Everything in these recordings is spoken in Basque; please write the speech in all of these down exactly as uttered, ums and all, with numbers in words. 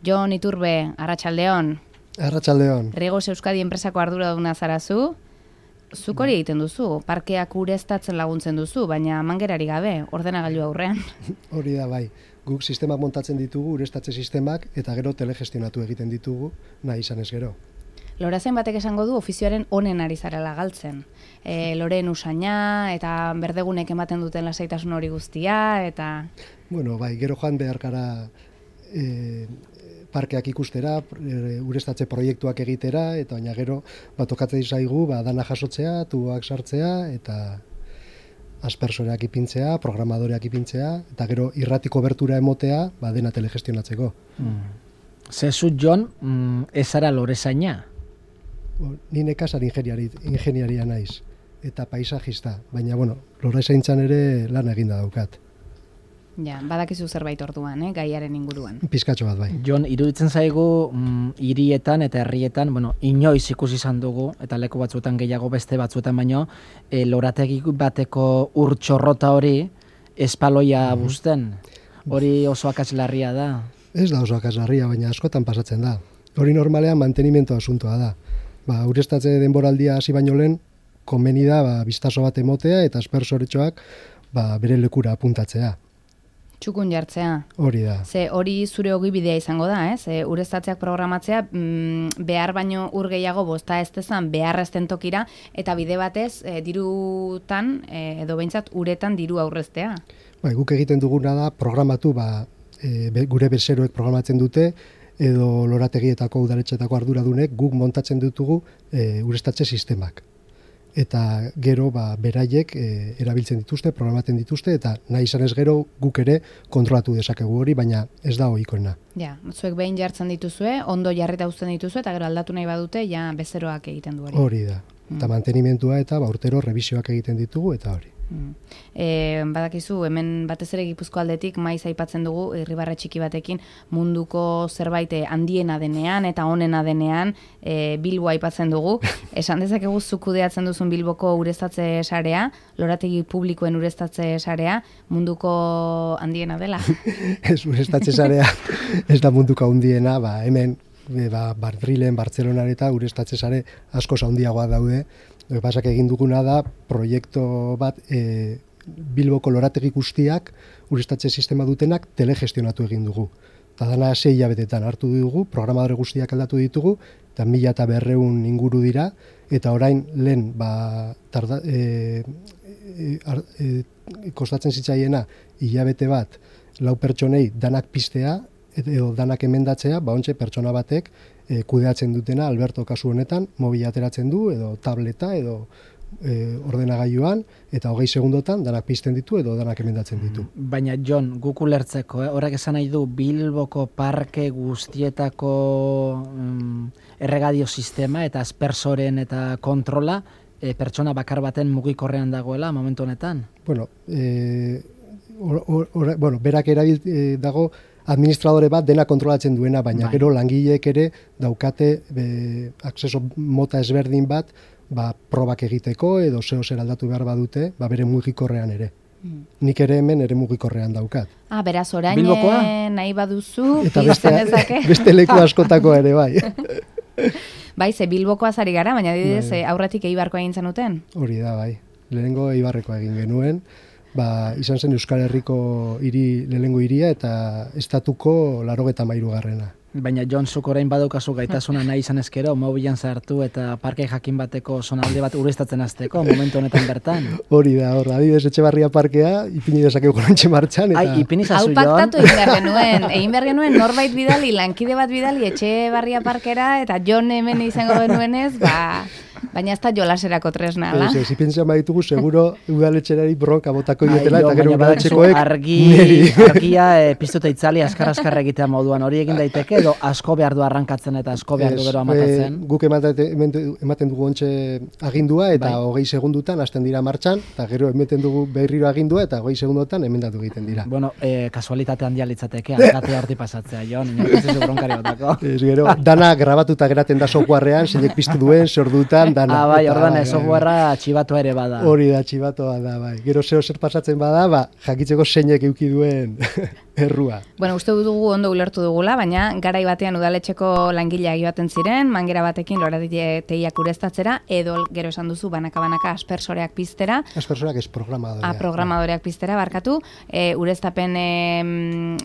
Jon Iturbe, Arratsaldeon. Arratsaldeon. Rigos Euskadi enpresako arduraduna zarazu. Zuk hori egiten duzu, parkeak ureztatzen laguntzen duzu, baina mangerari gabe, ordenagailu aurrean. Hori da bai. Guk sistemak montatzen ditugu, ureztatze sistemak, eta gero telegestionatu egiten ditugu, nahi izan ez gero. Lorazen batek esango du ofizioaren onen ari zarela galtzen. E, loren usaina, eta berdegunek ematen duten lasaitasun hori guztia, eta... Bueno, bai, gero joan behar gara e, parkeak ikustera, e, ureztatze proiektuak egitera, eta baina gero bat tokatzen zaigu, ba, dana jasotzea, tuboak sartzea, eta aspersoreak ipintzea, programadoreak ipintzea, eta gero irratiko bertura emotea, ba, dena telegestionatzeko. Mm. Zezu, Jon, mm, ez zara lorezaina? Ni nekazal ingeniari, ingeniaria naiz, eta paisajista, baina, bueno, lorezaintzan ere lan eginda daukat. Ja, badakizu zerbait orduan, eh, gaiaren inguruan. Pizkatxo bat bai. Jon, iruditzen zaigu mm, hirietan eta herrietan, bueno, inoiz ikusi izan dugu, eta leku batzuetan gehiago beste batzuetan baino, e, lorategi bateko urtxorrota hori espaloia mm-hmm. busten. Hori oso akatslarria da. Ez da oso akatslarria, baina askotan pasatzen da. Hori normalean mantenimento asuntoa da. Ba, ureztatze denboraldia hasi baino lehen, konbeni da ba, bistazo bat emotea eta aspersoretxoak ba, bere lekura apuntatzea. Txukun jartzea. Hori da. Ze hori zure ogibidea izango da, ez? E, ureztatzeak programatzea mm, behar baino ur gehiago bosta ez dezan behar ezten tokira, eta bide batez e, dirutan, e, edo behintzat uretan diru aurreztea. Ba, guk egiten duguna da programatu, ba, e, be, gure bezeroek programatzen dute, edo lorategietako udaletxetako arduradunek guk montatzen ditugu e, ureztatze sistemak. Eta gero ba, beraiek e, erabiltzen dituzte, programatzen dituzte, eta nahi izan ez gero guk ere kontrolatu dezakegu hori, baina ez da ohikoena. Ja, zuek behin jartzen dituzue, ondo jarrita uzten dituzue, eta gero aldatu nahi badute, ja bezeroak egiten du hori. Hori da. Mm. Eta mantenimentua eta ba, urtero revisioak egiten ditugu, eta hori. Mm. E, badakizu, hemen batez ere Gipuzko aldetik maiz aipatzen dugu irribarre txiki batekin munduko zerbait handiena denean eta onena denean e, Bilbo aipatzen dugu. Esan dezakegu zuk kudeatzen duzun Bilboko ureztatze sarea, lorategi publikoen ureztatze sarea, munduko handiena dela? Ez, ureztatze sarea ez da munduko handiena, ba, hemen e, ba, Madrilen, Bartzelonan eta ureztatze sare askoz handiagoa daude. Pasak egin duguna da proiektu bat e, Bilboko lorategi guztiak ureztatze sistema dutenak telegestionatu egin dugu. Eta dana sei hilabetetan hartu dugu, programadore guztiak aldatu ditugu, eta mila eta berreun inguru dira, eta orain lehen ba, tarda, e, e, e, kostatzen zitzaiena hilabete bat lau pertsonei danak piztea, edo danak emendatzea, ba ontxe pertsona batek e, kudeatzen dutena, Alberto kasu honetan, mobila ateratzen du, edo tableta, edo e, ordenagailuan, eta hogei segundotan danak pizten ditu, edo danak emendatzen ditu. Baina, Jon, guk ulertzeko, eh? Horrek esan nahi du, Bilboko parke guztietako um, erregadio sistema, eta aspersoren eta kontrola, e, pertsona bakar baten mugikorrean dagoela, momentu honetan? Bueno, e, or, or, or, bueno berak erabil e, dago, administradore bat dena kontrolatzen duena, baina bai. Gero langileek ere daukate be, akseso mota ezberdin bat ba, probak egiteko edo zeo zer aldatu behar badute, ba, bere mugikorrean ere. Mm. Nik ere hemen ere mugikorrean daukat. Ah, beraz orain nahi baduzu, eta beste, beste leku askotako ere, bai. Bai, ze Bilbokoa zari gara, baina didez bai. Aurretik Eibarkoa egin zenuten? Hori da, bai. Lehenengo Eibarrekoa egin genuen. Ba, izan zen Euskal Herriko hiri lehenengo hiria eta estatuko laurogeita hamairu garrena. Baina Jon, zuk orain badaukazu gaitasuna nahi izan ezkero, mobilan sartu eta parke jakin bateko zonalde bat ureztatzen hasteko momentu honetan bertan. Hori da, hor, adibidez Etxebarria parkea, ipini dezakegu gorantxe martxan. Eta... Ai, ipini zazu, Jon. Hau paktatu egin behar genuen, egin behar genuen norbait bidali, lankide bat bidali Etxebarria parkera, eta Jon hemen izango genuenez, ba... Baina ez da jolaserako tresna, da? Ez, ez, ipentzean baditugu, seguro udaletxerari bronka botako dietela, eta gero udaletxekoek argi, argia e, piztuta itzali askar-askar egitea moduan, hori egin daiteke, edo asko behar du arrankatzen eta asko behar du gero amatatzen? E, guk ematen, ematen dugu ontxe agindua, eta bai. hogei segundutan hasten dira martxan, eta gero ematen dugu berriro agindua, eta hogei segundutan emendatu egiten dira. Bueno, e, kasualitate handia litzateke, alkatea horti pasatzea, Jon, inoiz ez bronkari batako. Ez, gero, dana grabatuta geraten da softwarean, zeinek piztu duen, sordutan, dana. Ah, bai, ordan ez, softwarea txibatua ere bada. Hori da, txibatua da, bai. Gero zeo zer pasatzen bada, ba, jakitzeko zeinek euki duen. errua. Bueno, uste dugu ondo ulertu dugula, baina garai batean udaletxeko langileak joaten ziren, mangera batekin lorategiak ureztatzera, edo gero esan duzu banaka-banaka aspersoreak piztera. Aspersoreak ez programadoreak. Ah, programadoreak piztera, barkatu. E, ureztapen e,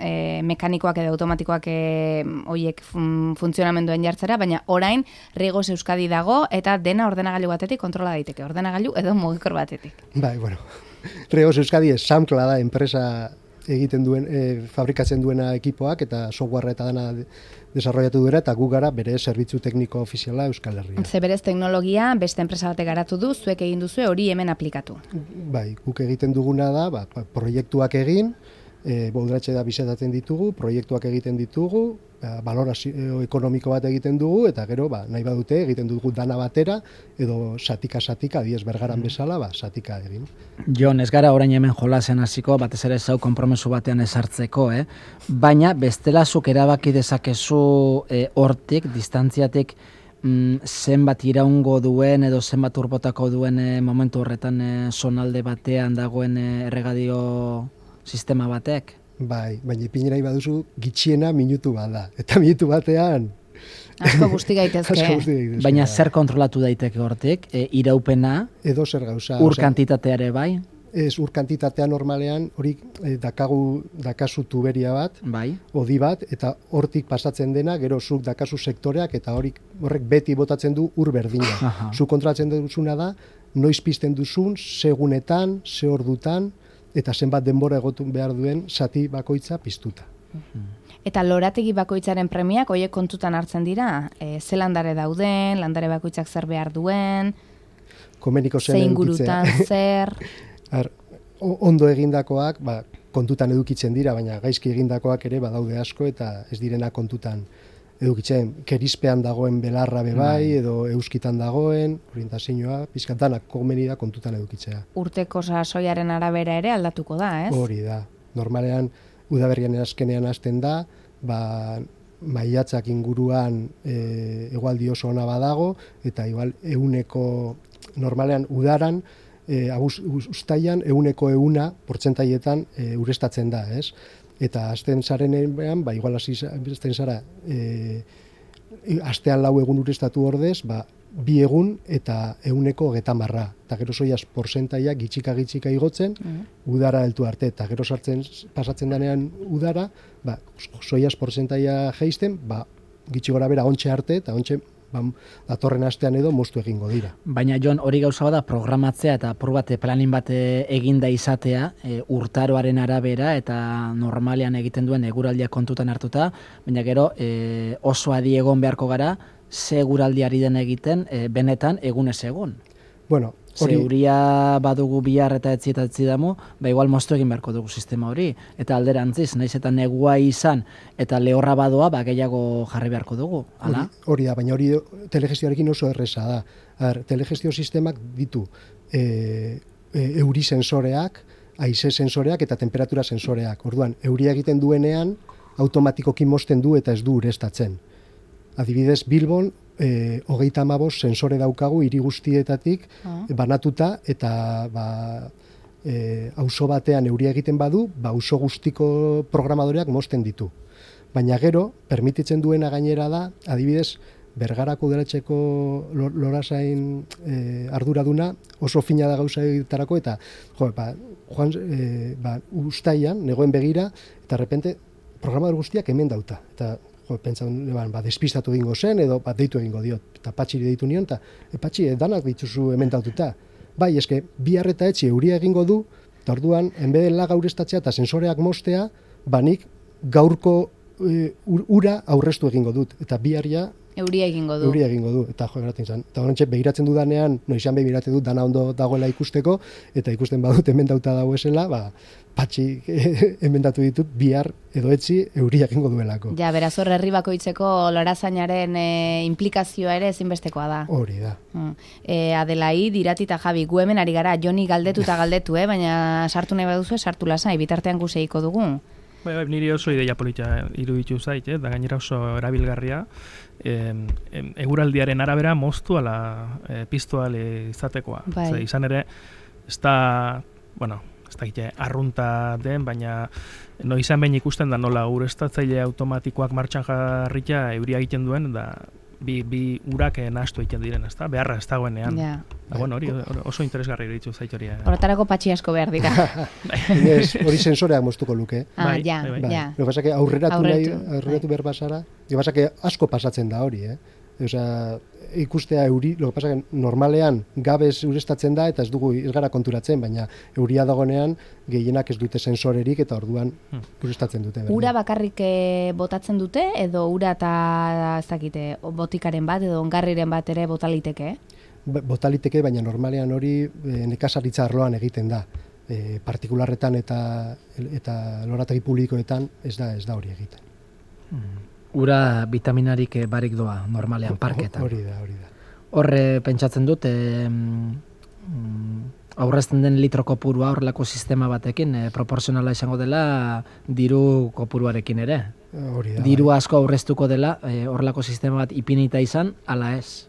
e, mekanikoak edo automatikoak e, oiek fun, funtzionamenduen jartzera, baina orain Rigos Euskadi dago eta dena ordenagailu batetik kontrola daiteke. Ordenagailu edo mugikor batetik. Bai, bueno. Rigos Euskadi esamkla da enpresa egiten duen, e, fabrikatzen duena ekipoak eta software eta dana desarrollatu duera eta gu gara bere zerbitzu tekniko ofiziala Euskal Herria. Ze berez teknologia beste enpresa batek garatu du, zuek egin duzu hori hemen aplikatu. Bai, guk egiten duguna da, ba, proiektuak egin, e, baudatxe da bizetatzen ditugu, proiektuak egiten ditugu, ba, balorazio ekonomiko bat egiten dugu, eta gero, ba, nahi badute, egiten dugu dana batera, edo satika-satika, diez bergaran bezala, ba, satika egin. Jon, ez gara orain hemen jolasen hasiko, batez ere zau konpromesu batean ezartzeko, eh? Baina bestela zuk erabaki dezakezu eh, hortik, distantziatik, mm, zenbat iraungo duen edo zenbat urbotako duen eh, momentu horretan eh, zonalde batean dagoen eh, erregadio sistema batek? Bai, baina ipin nahi baduzu gitxiena minutu bat da. Eta minutu batean Asko guzti gaitezke. Asko guzti gaitezke. Baina zer kontrolatu daiteke hortik? E, iraupena, edo zer gauza. ur osea, kantitateare bai? Ez, ur kantitatea normalean, hori eh, dakagu, dakazu tuberia bat, Bai. odi bat, eta hortik pasatzen dena, gero zuk dakazu sektoreak, eta horik, horrek beti botatzen du ur berdina. Aha. Zuk kontrolatzen duzuna da, noiz pizten duzun, segunetan, ze ordutan, eta zenbat denbora egotun behar duen sati bakoitza piztuta. Eta lorategi bakoitzaren premiak hoiek kontutan hartzen dira? E, ze landare dauden, landare bakoitzak zer behar duen, Komeniko zen ze edukitzea. ingurutan zer... Ar, ondo egindakoak, ba, kontutan edukitzen dira, baina gaizki egindakoak ere badaude asko eta ez direna kontutan edukitzen. Kerizpean dagoen belarra bebai, edo euskitan dagoen, orientazioa, pizkatanak komeni da kontutan edukitzea. Urteko sasoiaren arabera ere aldatuko da, ez? Hori da. Normalean, udaberrian azkenean hasten da, ba, maiatzak inguruan e, egualdi oso ona badago, eta igual euneko, normalean udaran, e, uztailan euneko euna portzentaietan e, urestatzen da, ez? Eta azten zarenean, ba, igual azten zara, e, astean lau egun urestatu ordez, ba, bi egun eta euneko getamarra. Eta gero zoiaz porzentaia gitxika-gitxika igotzen, mm. udara heltu arte. Eta gero sartzen, pasatzen denean udara, ba, zoiaz porzentaia geisten, ba, gitxi gora bera ontxe arte, eta ontxe ba, datorren astean edo moztu egingo dira. Baina Jon, hori gauza bada programatzea eta apur bate planin bate eginda izatea, e, urtaroaren arabera eta normalean egiten duen eguraldia kontutan hartuta, baina gero e, oso adi egon beharko gara, ze eguraldiari den egiten e, benetan egunez egun. Bueno, hori... Zeuria badugu bihar eta etzi eta etzi damu, ba igual moztu egin beharko dugu sistema hori. Eta alderantziz, naiz eta negua izan eta lehorra badoa, ba gehiago jarri beharko dugu. Hala? Hori, hori da, baina hori telegestioarekin oso erresa da. Ar, telegestio sistemak ditu e, e, euri sensoreak, haize sensoreak eta temperatura sensoreak. Orduan, euria egiten duenean, automatikoki mozten du eta ez du urestatzen. Adibidez, Bilbon, e, hogeita hamabost sensore daukagu hiri guztietatik ah. banatuta, eta ba, e, auzo batean euria egiten badu, ba, auzo guztiko programadoreak mozten ditu. Baina gero, permititzen duena gainera da, adibidez, Bergarako udaletxeko lorasain e, arduraduna oso fina da gauza egitarako, eta jo, ba, joan, e, ba, ustaian, negoen begira, eta repente programador guztiak hemen dauta. Eta jo, pentsa, ba, despistatu egingo zen, edo ba, deitu egingo diot, eta patxiri deitu nion, eta e, patxi, danak dituzu hemen daututa. Bai, eske, bi harreta etxi euria egingo du, eta orduan, enbeden laga urestatzea eta sensoreak mostea, banik gaurko e, ura aurreztu egingo dut, eta bi harria Euria egingo du. Euria egingo du, eta jo, eratzen zen. Eta horrentxe, behiratzen dudanean, noizan behiratzen dut, dana ondo dagoela ikusteko, eta ikusten badut hemen dauta dagoesela, ba, patxi emendatu ditut, bihar edo etzi euria egingo duelako. Ja, beraz hor herri bakoitzeko lorazainaren e, implikazioa ere ezinbestekoa da. Hori da. Mm. E, Adelaid, Irati eta Javi, gu hemen ari gara, Joni galdetu eta galdetu, eh? Baina sartu nahi baduzu, sartu lasai, bitartean guseiko dugu. Bai, bai, niri oso ideia polita iruditu zait, eh? Da gainera oso erabilgarria. E, e, eguraldiaren arabera moztu ala e, piztu ale izatekoa. Bai. Zer, izan ere, ez da, bueno, ez dakite, arrunta den, baina noizan behin ikusten da nola ureztatzaile automatikoak martxan jarritea euria egiten duen, da bi, bi urak nahastu egiten diren, ezta? Beharra ez dagoenean. Ja. Da, bueno, hori oso interesgarri iritzu zait hori. Horretarako patxi asko behar dira. Ez, hori sensoreak moztuko luke. Ah, Bai, ja, bai, Bai. ja. Lo que pasa que aurreratu nahi, Aurretu, aurreratu bai. behar basara, lo que pasa que asko pasatzen da hori, eh? Osea, ikustea euri, lo que pasa que normalean gabez urestatzen da eta ez dugu ez gara konturatzen, baina euria dagonean gehienak ez dute sensorerik eta orduan urestatzen dute. berdin. Ura bakarrik eh, botatzen dute edo ura eta ez dakite botikaren bat edo ongarriren bat ere botaliteke? Ba- Botaliteke, baina normalean hori e, nekazaritza arloan egiten da. E, partikularretan eta eta lorategi publikoetan ez da ez da hori egiten. Ura vitaminarik eh, barik doa normalean parketan. Hori da, hori da. Horre pentsatzen dut, e, aurrezten den litro kopurua horrelako sistema batekin e, proporzionala izango dela diru kopuruarekin ere. Hori da. Diru asko aurreztuko dela e, horrelako sistema bat ipinita izan, ala ez.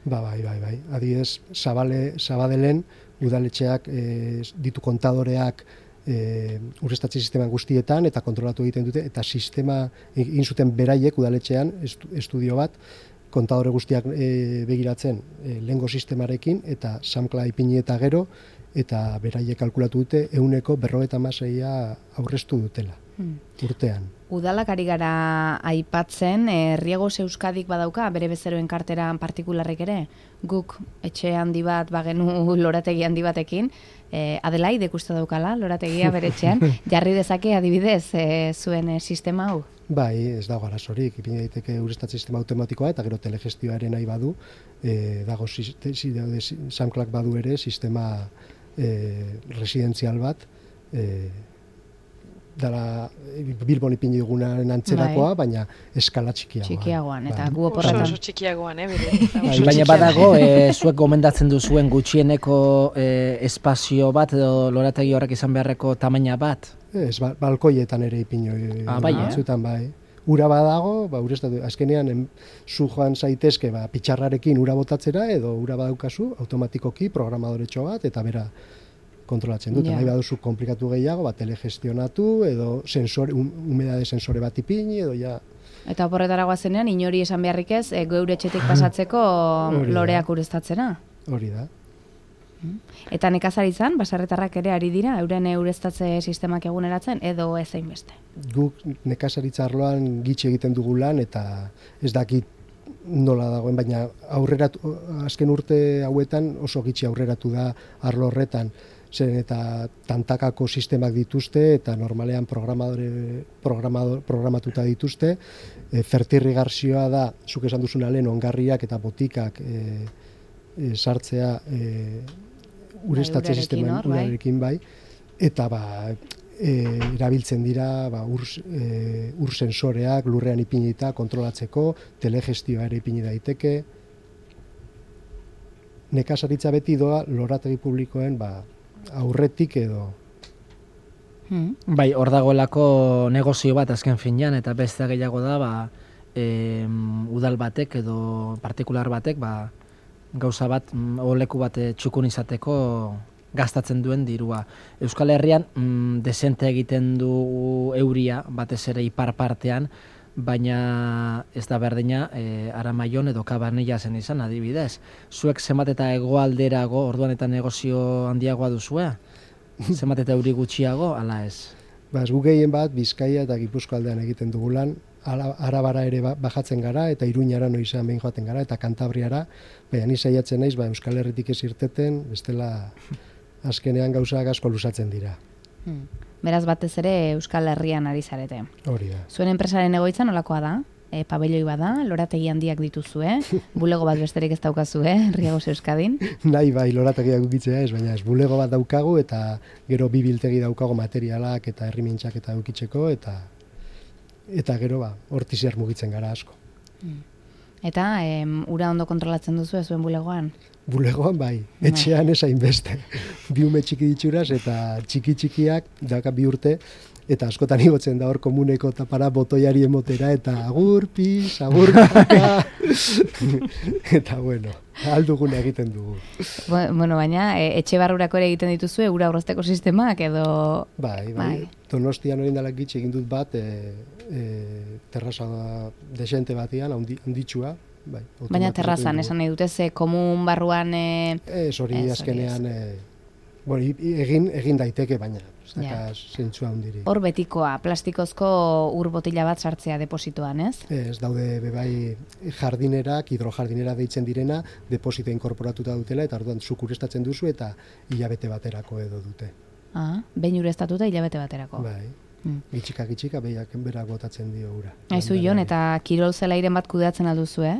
Ba, bai, bai, bai. Adibidez, Zabale, Zabadelen udaletxeak e, ditu kontadoreak e, urrestatze sisteman guztietan eta kontrolatu egiten dute eta sistema egin zuten beraiek udaletxean estu, estudio bat kontadore guztiak e, begiratzen e, lehengo sistemarekin eta samkla ipini eta gero eta beraiek kalkulatu dute ehuneko berrogeita hamaseia aurreztu dutela Hmm. urtean. Udalak ari gara aipatzen, e, Riegos Euskadik badauka, bere bezeroen karteran partikularrik ere, guk etxe handi bat bagenu lorategi handi batekin, e, Adelaide ikuste daukala, lorategia bere etxean, jarri dezake adibidez e, zuen e, sistema hau? Bai, ez dago arazorik, ipini daiteke ureztatze sistema automatikoa eta gero telegestioa ere nahi badu, e, dago samklak badu ere sistema e, residenzial bat, e, dara Bilbon ipini dugunaren antzerakoa, Bai. baina eskala txikiagoan. Txikiagoan, eta Bai. gu Oso, oporretan. oso txikiagoan, eh, bere. Bai, Oso baina txikiagoan. badago, e, zuek gomendatzen duzuen gutxieneko e, espazio bat edo lorategi horrek izan beharreko tamaina bat. Ez, ba, balkoietan ere ipini Ah, bai, eh? batzuetan bai. Ura badago, ba, ureztatu, azkenean em, zu joan zaitezke ba, pitxarrarekin ura botatzera edo ura badaukazu automatikoki programadoretxo bat eta bera kontrolatzen dut. Ja. Nahi baduzu komplikatu gehiago, ba, telegestionatu edo sensore, um, humedade sensore bat ipini edo ja. Eta oporretara guazenean, inori esan beharrik ez, e, geure etxetik pasatzeko Hori da. loreak ureztatzera. Hori da. Eta nekazaritzan, baserritarrak ere ari dira, euren eureztatze sistemak eguneratzen, edo ez beste. Guk nekazaritza arloan gitxi egiten dugu lan eta ez dakit nola dagoen, baina aurreratu, azken urte hauetan oso gitxi aurreratu da arlo horretan. Zeren eta tantakako sistemak dituzte eta normalean programadore, programador, programatuta dituzte. E, fertirrigazioa da, zuk esan duzuna lehen, ongarriak eta botikak e, e, sartzea e, ureztatze urarekin sisteman hor, bai. urarekin bai. Eta ba, e, erabiltzen dira ba, ur, e, ur sensoreak lurrean ipinita kontrolatzeko, telegestioa ere ipini daiteke. Nekazaritza beti doa lorategi publikoen ba, aurretik edo. Hmm. Bai, hor dagoelako negozio bat azken finean, eta beste gehiago da, ba, e, udal batek edo partikular batek, ba, gauza bat, mm, oleku bat eh, txukun izateko gastatzen duen dirua. Euskal Herrian mm, desente egiten du euria, batez ere ipar partean, baina ez da berdina e, Aramaion edo Kabanilla zen izan adibidez. Zuek zenbat eta hegoalderago, orduan eta negozio handiagoa duzue? Zenbat eta euri gutxiago, ala ez? Ba, ez gu gehien bat Bizkaia eta Gipuzko aldean egiten dugu lan, Ara- Arabara ere ba- bajatzen gara eta Iruñara noizean behin joaten gara eta Kantabriara, baina ni saiatzen naiz ba, Euskal Herritik ez irteten, bestela azkenean gauzak asko luzatzen dira. Hmm. Beraz batez ere Euskal Herrian ari zarete. Hori da. Zuen enpresaren egoitza nolakoa da? E, pabelloi bada, lorategi handiak dituzue, bulego bat besterik ez daukazue, Riegos Euskadin. Nahi bai lorategiak ukitzea ez, baina ez bulego bat daukagu eta gero bi biltegi daukagu materialak eta herrimintxak eta ukitzeko eta eta gero ba, hortiziar mugitzen gara asko. Eta em, ura ondo kontrolatzen duzu zuen bulegoan? Bulegoan bai, etxean ez hainbeste. Bi ume txiki ditxuraz eta txiki txikiak, dauka bi urte, eta askotan igotzen da hor komuneko tapara botoiari emotera, eta agur, pis, agur, kaka, eta bueno, alduguna egiten dugu. Bueno, baina, e, etxe barrurako ere egiten dituzue, ura aurrezteko sistemak, edo... Bai, bai, bai. Donostian orain dela gitxe egin dut bat, e, e, terraza desente batean, handitsua, bai. Baina terrazan, esan nahi dute, ze komun barruan... E... Ez, hori azkenean... E, Bueno, egin, egin daiteke, baina ez daka zentzua hundirik. Hor betikoa, plastikozko ur botila bat sartzea depositoan, ez? Ez, daude bebai jardinerak, hidrojardinera deitzen direna, deposito inkorporatuta dutela, eta orduan zuk ureztatzen duzu, eta hilabete baterako edo dute. Ah, behin ureztatuta hilabete baterako. Bai, mm. gitxika, gitxika, behiak berak botatzen dio ura. Aizu, Jon, eta kirol zelairen bat kudeatzen alduzu, eh?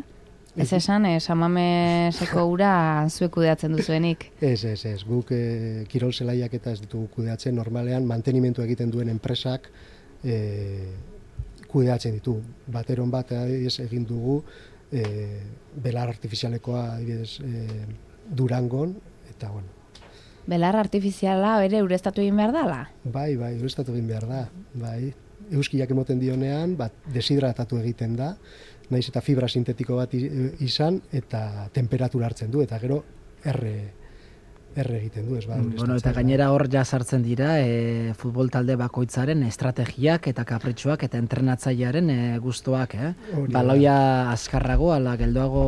Ez esan, eh, Samameseko ura zuek kudeatzen duzuenik. Ez, ez, ez. Guk e, kirol zelaiak eta ez ditugu kudeatzen. Normalean, mantenimentu egiten duen enpresak e, kudeatzen ditu. Bateron bat ez egin dugu e, belar artifizialekoa adibidez, e, Durangon, eta bueno. Belar artifiziala ere ureztatu egin behar dala? Bai, bai, ureztatu egin behar da. Bai. Euskiak emoten dionean, bat deshidratatu egiten da, naiz eta fibra sintetiko bat izan, eta temperatura hartzen du, eta gero erre, erre egiten du, ez ba? Bueno, eta gainera hor ja sartzen dira e, futbol talde bakoitzaren estrategiak eta kapritxoak eta entrenatzailearen e, gustuak, eh? Baloia azkarrago, ala geldoago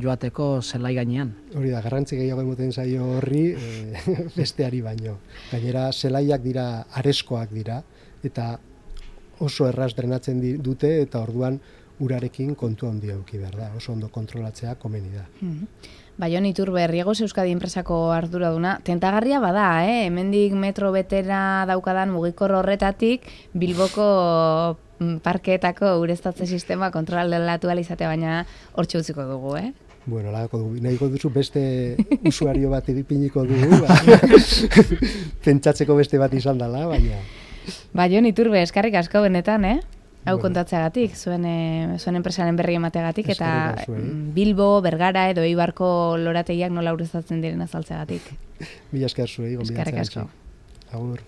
joateko zelai gainean. Hori da, garrantzi gehiago emoten zaio horri, e, besteari baino. Gainera, zelaiak dira, areskoak dira, eta oso erraz drenatzen dute, eta orduan urarekin kontu handia eduki behar da, oso ondo kontrolatzea komeni da. Mm-hmm. Baion Iturbe, Riegos Euskadi enpresako arduraduna, tentagarria bada, eh? Hemendik metro betera daukadan mugikor horretatik, Bilboko parkeetako ureztatze sistema kontrolatu izatea, baina hortxe utziko dugu, eh? Bueno, lagako dugu, nahiko duzu beste usuario bat ipiniko dugu, ba. Pentsatzeko beste bat izan dela, baina... Baion Iturbe, eskarrik asko benetan, eh? Hau bueno. Kontatzeagatik, zuen, e, zuen enpresaren berri emateagatik, eta Bilbo, Bergara edo Eibarko lorategiak nola ureztatzen diren azaltzeagatik. Mila esker zuei, eskarrik asko. Agur.